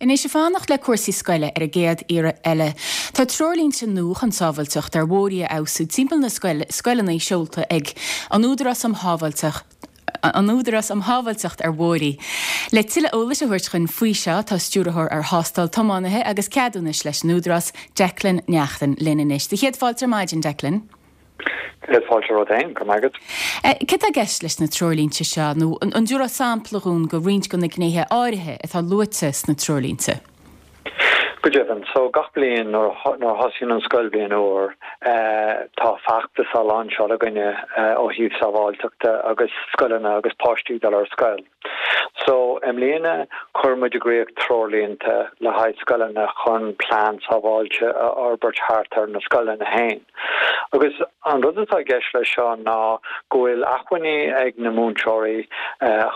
Anois, ag fanacht le cúrsaí scoile ar an gcéad iarraidh eile, tá treoirlínte nua chun sábháilteacht ar bhóithre a fheabhsú timpeall na scoileanna seolta ag an Údarás um Shábháilteacht an Údarás um Shábháilteacht ar Bhóithre. Le tuilleadh eolais a thabhairt chuinn faoi seo, tá Stiúrthóir ar Thástáil Tiománaithe agus Ceadúnais leis an Údarás, Declan Neachtain, linn anois. Do chéad fáilte ar maidin, Declan. Céad fáilte romhat féin, go raibh maith agat. Céard tá i gceist leis na treoirlínte seo, nó an dtabharfá sampla dhúinn de roinnt de na gnéithe áirithe atá luaite sna treoirlínte? Go deimhin, so gach bliain nuair a thosaíonn an scoilbhliain úr, tá feachtas á lainseáil againne ó thaobh sábháilteachta agus scoileanna agus páistí ag dul ar scoil. So, i mbliana, chuir muid i gcrích treoirlínte le haghaidh scoileanna chun plean sábháilte a fhorbairt thart ar na scoileanna féin. Agus an rud atá i gceist leis seo ná go bhfuil acmhainní ag na múinteoirí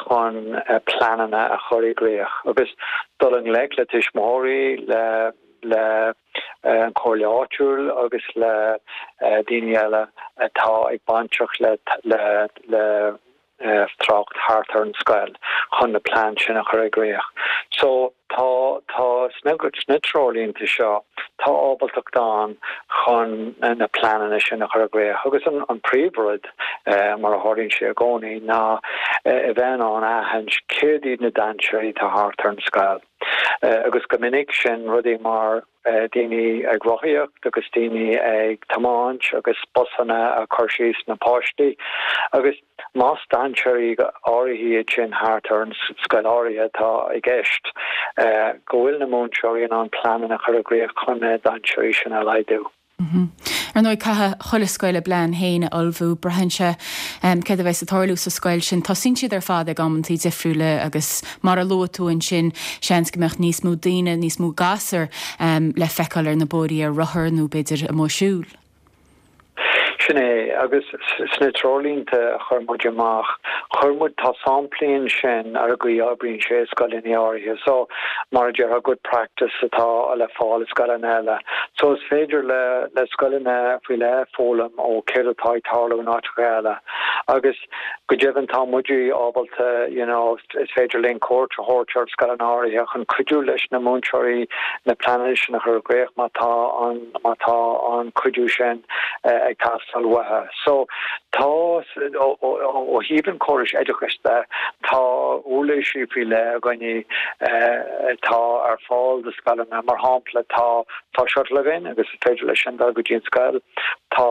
chun pleananna a chur i gcrích agus dul i ngleic le tuismitheoirí, le le an chomhairle áitiúil agus le daoine eile atá ag bainteach le le le trácht thart ar an scoil chun na plean sin a chur i gcrích. So tá, tá sna, sna treoirlínte seo, tá ábaltacht ann chun na pleananna sin a chur i gcrích agus an, an príomhrud, mar a tharlaíonn sé i gcónaí, ná a bheith in ann aithint céard iad na dainséirí atá thart ar an scoil. Agus go minic sin rudaí mar daoine ag rothaíocht agus daoine ag tiomáint agus busanna ag cur síos na páistí agus más dainséirí áirithe iad sin thart ar an scoil áirithe atá i gceist, go bhfuil na múinteoirí in ann pleananna a chur i gcrích chun na dainséirí sin a laghdú. Ar ndóigh, caithfidh chuile scoil a bplean féin a ullmhú. Braitheann sé céard a bheas ag tarlú sa scoil sin. Tosaíonn siad ar fad ag amantaí difriúla agus mar a luaigh tú ansin, seans go mbeadh níos mó daoine, níos mó gasúr le feiceáil ar na bóithrí ar rothar nó b'fhéidir amuigh ag siúl. Sin é, agus sna treoirlínte a chuir muid amach, chuir muid, tá samplaí ansin ar an gcaoi a oibríonn sé i scoileanna áirithe. So, mar a déarfá, good practice atá le fáil i scoileanna eile. So, is féidir le, le scoileanna faoi leith foghlaim ó céard atá ag tarlú in áiteacha eile. Agus go deimhin tá muid ábalta, you know, is féidir linn cuairt a thabhairt ar scoileanna áirithe chun cuidiú leis na múinteoirí na pleananna sin a chur i gcrích má tá an, má tá an cuidiú sin ag teastáil uathu. So tá, ó thaobh an chórais oideachais de, tá uirlisí faoi leith againne atá ar fáil do scoileanna. Mar shampla, tá, tá shuttle againn agus is féidir leis sin dul go dtí an scoil. Tá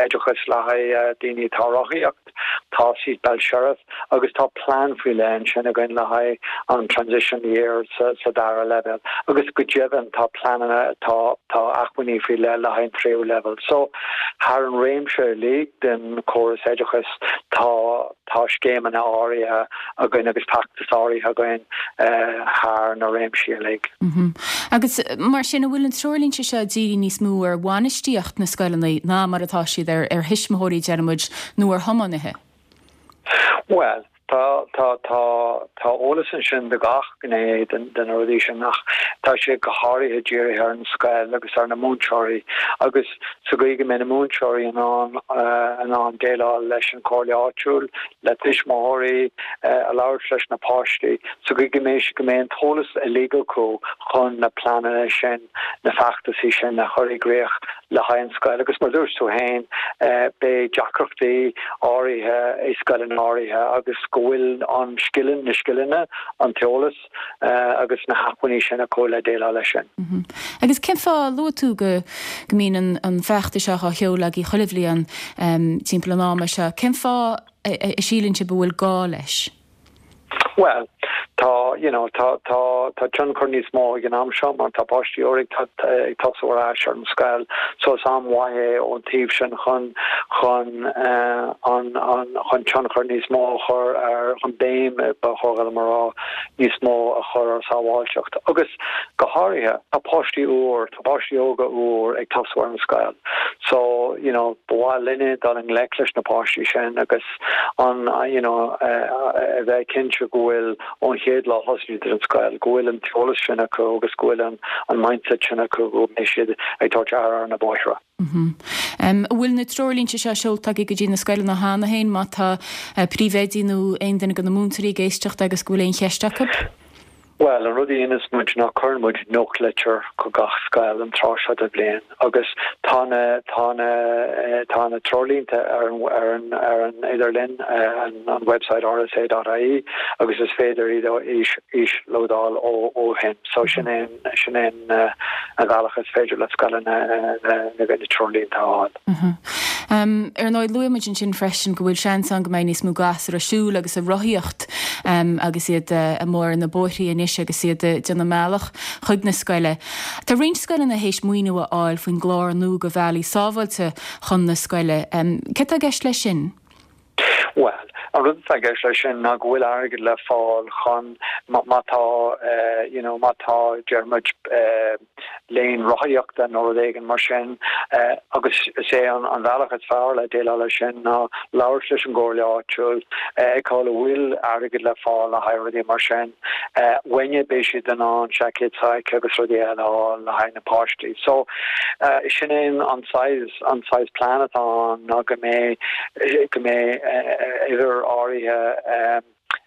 oideachas le haghaidh daoine atá ag rothaíocht, tá Seatbelt Sheriff agus tá plean faoi leith ansin againn le haghaidh an Transition Year sa dara leibhéal agus go deimhin tá pleananna, tá tá acmhainní faoi leith le haghaidh an tríú leibhéal. So thar an réimse uilig den chóras oideachais tá tá scéimeanna áirithe againn agus feachtais áirithe againn thar na réimsí uilig. Agus mar sin, an bhfuil na treoirlínte seo dírithe níos mó ar bhainistíocht na scoileanna ná mar atá siad ar ar thuismitheoirí, deir muid, nó ar thiománaithe? Bhuel, tá, tá, tá, tá eolas ansin do gach gné de na rudaí sin ach tá sé go háirithe dírithe ar an scoil agus ar na múinteoirí agus sa gcaoi go mbeidh na múinteoirí in ann in ann déileáil leis an chomhairle áitiúil, le tuismitheoirí, a labhairt leis na páistí, sa gcaoi go mbeidh go mbeidh an t-eolas uilig acu chun na pleananna sin, na feachtasaí sin a chur i gcrích le haghaidh an scoil. Agus mar dúirt tú féin, beidh deacrachtaí áirithe i scoileanna áirithe agus go bhfuil an scileanna, na scileanna, an t-eolas agus na hacmhainní sin acu le déileáil leis sin. Agus cén fáth, luaigh tú go go mbíonn an feachtas seo á sheoladh agaibh chuile bhliain timpeall an ama seo, cén fáth a síleann sibh go bhfuil gá leis? Bhuel, tá, you know, tá, tá, tá tionchar níos mó ag an am seo mar tá páistí úra ag, ag tosú ar ais ar an scoil so is am mhaith é ón taobh sin chun, chun eh, an, an, chun tionchar níos mó a chur ar, chun béim, ba chóir dom a rá, níos mó a chur ar sábháilteacht. Agus go háirithe, tá páistí úr, tá páistí óga úr ag tosú ar an scoil so, you know, ba mhaith linne dul i ngleic leis na páistí sin agus, an you know a bheith cinnte go bhfuil ón chéad lá a thosaíonn siad ar an scoil, go bhfuil an t-eolas sin acu agus go bhfuil an an mindset sin acu go mbeidh siad ag tabhairt aire ar na bóithre. An bhfuil na treoirlínte seo seolta agaibh go dtí na scoileanna cheana féin má tá príomhoidí nó aon duine de na múinteoirí ag éisteacht agus go bhfuil aon cheist acu? Bhuel, an rud a dhéanas muid ná cuireann muid nuachtlitir chuig gach scoil an tráth seo de bhliain agus tá na, tá na, tá na treoirlínte ar an, ar an, ar an idirlíon, an, an website rsa.ie agus is féidir iad a íoslódáil ó, ó shin. So sin é an, sin é an, an bealach is féidir le scoileanna na, na treoirlínte a fháil. Ar ndóigh, luaigh muid ansin freisin go bhfuil seans ann go mbeidh níos mó gasúr ag siúl agus ag rothaíocht agus iad amuigh ar na bóithrí anois agus iad ag déanamh a mbealach chuig na scoile. Tá roinnt scoileanna théis maoiniú a fháil faoin gclár nua do bhealaí sábháilte chun na scoile. Céard atá i gceist leis sin? Bhuel, an rud atá i gceist leis sin ná go bhfuil airgead le fáil chun má tá, you know, má tá, deir muid, lane rothaíochta nó rud éigin mar sin agus is é an bealach is fearr le déileáil leis sin ná labhairt leis an gcomhairle áitiúil, feiceáil an bhfuil airgead le fáil le haghaidh rudaí mar sin. Uainne beidh siad in ann seaicéid sac agus rudaí eile a fháil le haghaidh na páistí. So, sin é an saghas, an saghas plean atá ann ná go mbeidh, go mbeidh uimhir áirithe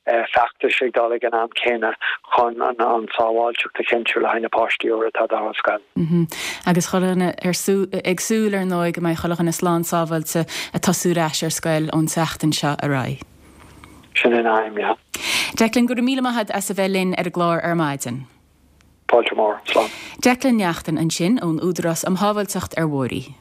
feachtais ag dul ag an am céanna chun an tsábháilteacht a chinntiú le haghaidh na páistí úra atá ag dul ar scoil. Agus chuile dhuine ag súil ar ndóigh go mbeidh chuile dhuine slán sábháilte ag tosú ar ais ar scoil ón tseachtain seo ar aghaidh. Sin an aidhm, yeah. Declan, go raibh míle maith agat as a bheith linn ar an gclár ar maidin. Fáilte mhór. Slán. Declan Neachtain ansin ón Údarás um Shábháilteacht ar Bhóithre.